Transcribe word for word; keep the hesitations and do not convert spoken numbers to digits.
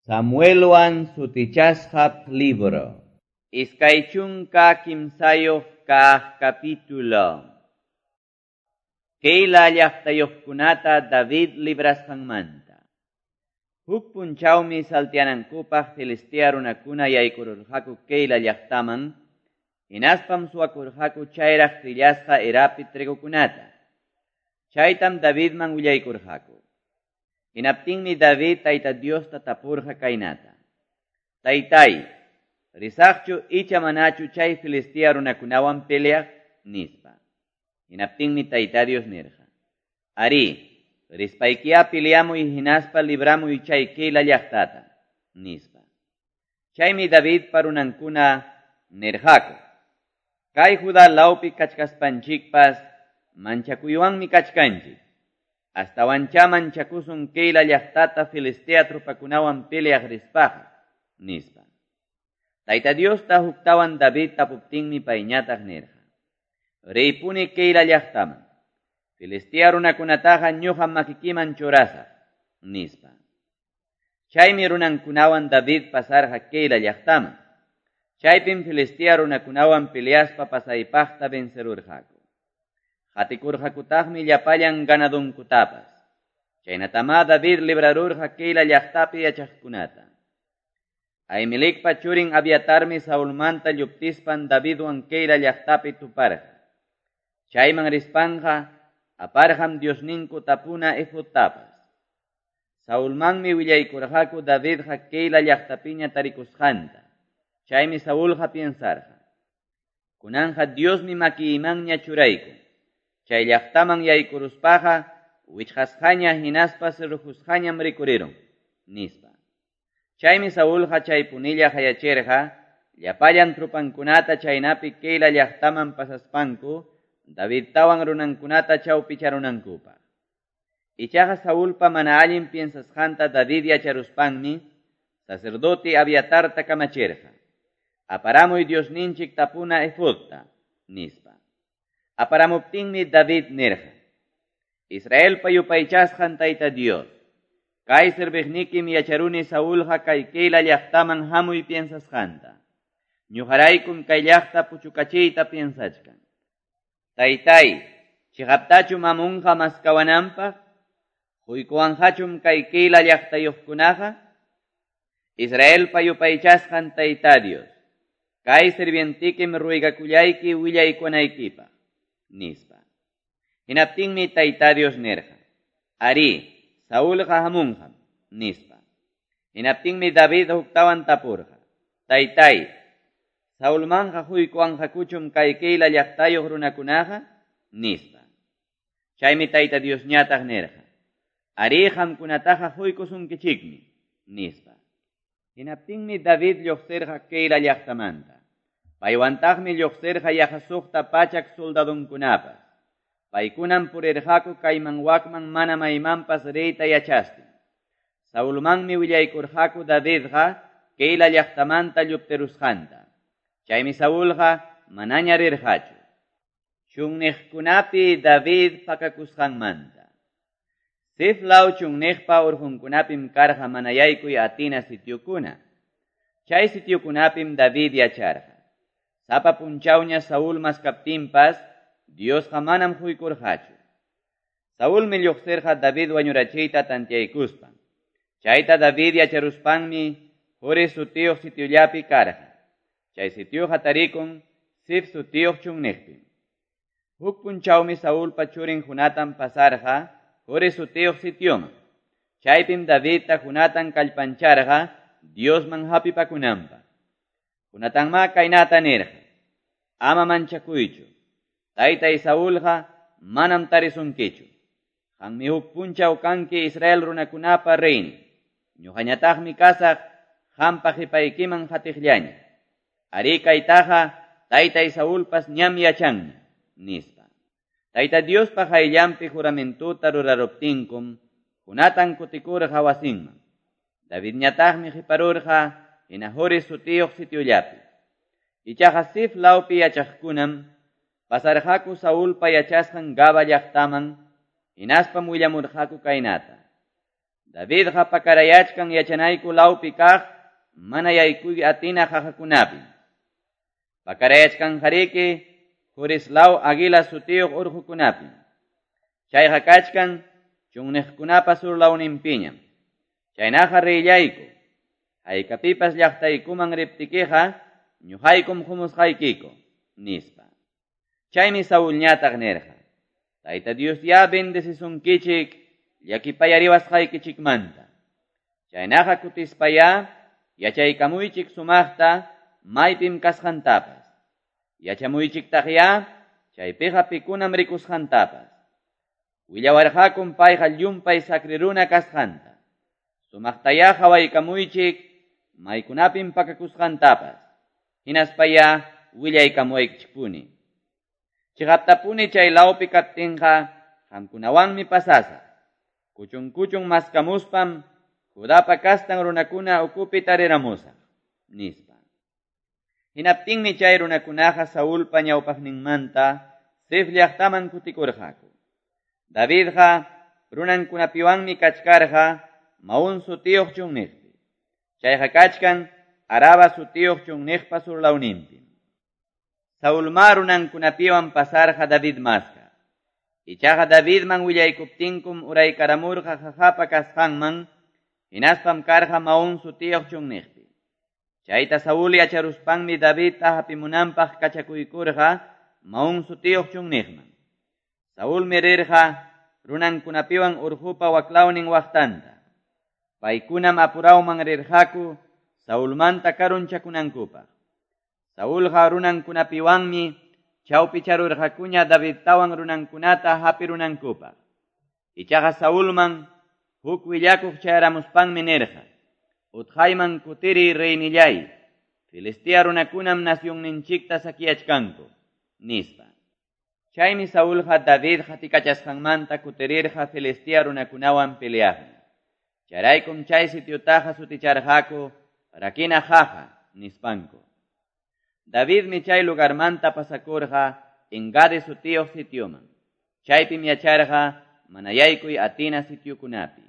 Samuelwan sutichasqa libro. Iskay chunka kimsayuq kaq capítulo. Keila llaqtayuqkunata David librasqanmanta. Huk punchawmi saltianankupaq Filistea runakuna yaykururqaku Keila llaqtaman, hinaspam suwakurqaku chayraq trillasqa erapi trigokunata. Chaytam Davidman willaykurqaku. Hinaptinmi David Tayta Diosta tapurqa kaynata. Taytay, risaqchu icha manachu chay Filistea runakunawan peleaq, nispa. Hinaptinmi Tayta Dios nirqa. Ari, rispaykiya peleamuy hinaspa libramuy chay Keila llaqtata, nispa. Chaymi Davidpa runankuna nirqaku. Kay Judá lawpi kachkaspanchikpas manchakuywanmi kachkanchik. Astawancha manchakusun Keila llaqtata Filistea trupakunawan peleaq rispaqa, nispa. Tayta Diosta huktawan David tapuptinmi payñataq nirqa. Riypuni Keila llaqtaman. Filistea runakunataqa ñuqam makikiman churasaq, nispa. Chaymi runankunawan David pasarqa Keila llaqtaman. Chaypim Filistea runakunawan peleaspa pasaypaqta vencerurqaku. Qatikurqakutaqmi llapallan ganadunkutapas. Chaynatamá David librarurqa Keila llaqtapi yachaqkunata. Ahimelecpa churin Abiatarmi Saulmanta lluptispan Davidwan Keila llaqtapi tuparqa. Chayman rispanqa aparqam Diosninku tapuna efodtapas. Saulmanmi willaykurqaku Davidqa Keila llaqtapiña tarikusqanta. Chaymi Saulqa piensarqa. Kunanqa Diosmi makiymanña churaykun. Chay llaqtaman yaykuruspaqa wichqasqaña hinaspa cerrojusqañam rikurirun, nispa. Chaymi Saulqa chaypunilla hayachirqa llapallan trupankunata chaynapi Keila llaqtaman pasaspanku Davidtawan runankunata chawpicharunankupaq. Ichaqa Saulpa mana allin piensasqanta David yacharuspanmi sacerdote Abiatarta kamachirqa. Aparamuy Diosninchik tapuna efodta, nispa. Aparamuptinmi David nirqa. Israelpa yupaychasqan Tayta Dios. Kay serviqnikim yacharuni Saulqa kay Keila llaqtaman hamuy piensasqanta. Ñuqaraykum kay llaqta puchukachiyta piensachkan. Taytay, chiqaptachum amunqa maskawananpaq, huykuwanqachum kay Keila llaqtayuqkunaqa? Israelpa yupaychasqan Tayta Dios. Kay sirvientikim ruegakullayki willaykunaykipaq, nispa. Hinaptinmi Tayta Dios nirqa. Ari, Saulqa hamunqam, nispa. Hinaptinmi David huktawan tapurqa. Taytay, Saulmanqa huykuwanqakuchum kay Keila llaqtayuq runakunaqa, nispa. Chaymi Tayta Diosñataq nirqa. Ari, qamkunataqa huykusunkichikmi, nispa. Hinaptinmi David lluqsirqa Keila llaqtamanta. Paywantaqmi lluqsirqa yaqa suqta pachak soldadunkunapas. Paykunam purirqaku kayman wakman mana maymanpas riyta yachastin. Saulmanmi willaykurqaku Davidqa Keila llaqtamanta lluptirusqanta. Chaymi Saulqa manaña rirqachu. Chunniqkunapi David pakakusqanmanta. Zif law chunniqpa urqunkunapim karqa mana yaykuy atina sitiokuna. Chay sitiokunapim David yacharqa. Sapa punchawña Saúl maskaptinpas Diosqa manam huykurqachu. Saulmi lluqsirqa David wañurachiyta tantiaykuspan. Chayta David yacharuspanmi Hores sutiyuq sitiollapi karqa. Chay sitioqa tarikun Zif sutiyuq chunniqpim. Huk punchawmi Saulpa churin Jonatan pasarqa Hores sutiyuq sitioman. Chaypim Davidta Jonatan kallpancharqa Diosman hapipakunanpaq. Jonatanma kaynata nirqa. Ama manchakuychu. Taytay Saulqa manam tarisunkichu. Qanmi huk punchaw kanki Israel runakunapa reynin. Ñuqañataqmi kasaq qampa qhipaykiman qatiqllaña. Ari kaytaqa taytay Saulpas ñam yachanña, nispa. Tayta Diospa qayllanpi juramentuta ruraruptinkum Jonatan kutikurqa wasinman. Davidñataqmi qhiparurqa hina Hores sutiyuq sitiollapi. Ichaqa Zif lawpi yachaqkunam pasarqaku Saulpa yachasqan Gaba llaqtaman hinaspam willamurqaku kaynata. Davidqa pakarayachkan yachanayku lawpi kaq mana yaykuy atina qaqakunapim. Pakarayachkanqariki Jores law Aguila sutiyuq urqukunapim. Chayqa kachkan chunniqkunapa surlawninpiñam. Chaynaqa riyllayku. Haykapipas llaqtaykuman riptikiqa ñuqaykum humusqaykiku, nispa. Chaymi Saulñataq nirqa: Tayta Dios ya bendecisunkichik llakipayariwasqaykichikmanta. Chaynaqa kutispaya yachaykamuychik sumaqta maypim kasqantapas. Yachamuychiktaqya chaypiqa pikunam rikusqantapas. Willawarqakum payqa llumpay sakriruna kasqanta. Sumaqtaya qhawaykamuychik maykunapim pakakusqantapas. Hinaspaya willaykamuwaykichikpuni. Chiqaptapuni chay lawpi kaptinqa qamkunawanmi pasasaq. Kuchun kuchun maskamuspam Judapa kastan runakuna ukupi tariramusaq, nispa. Hinaptinmi chay runakunaqa Saulpa ñawpaqninmanta Zif llaqtaman kutikurqaku. Davidqa runankunapiwanmi kachkarqa Maún sutiyuq chunniqpi. Chayqa kachkan Araba sutiyuq chunniqpa surlawninpi. Saulma runankunapiwan pasarqa David maska. Ichaqa Davidman willaykuptinkum uraykaramurqa qaqapa kasqanman, hinaspam karqa Maún sutiyuq chunniqpi. Chayta Saúl yacharuspanmi Davidta hapimunanpaq kachakuykurqa Maún sutiyuq chunniqman. Saúlmi rirqa runankunapiwan urqupa waklawnin waqtanta. Paykunam apurawman rirqaku Saulmanta karunchakunankupaq. Saulqa runankunapiwanmi chawpicharurqakuña Davidtawan runankunata hapirunankupaq. Ichaqa Saulman huk willakuq chayaramuspanmi nirqa: Utqayman kutiri reynillay, Filistea runakunam nacionninchikta saqueachkanku, nispa. Chaymi Saulqa David qatikachasqanmanta kutirirqa Filistea runakunawan peleaqmi. Chayraykum chay sitiotaqa suticharqaku Rakina Jaja, nispanku. Davidmi chay lugarmanta pasakurqa Engadi sutiyuq sitioman. Chaypim yacharqa mana yaykuy atina sitiokunapi.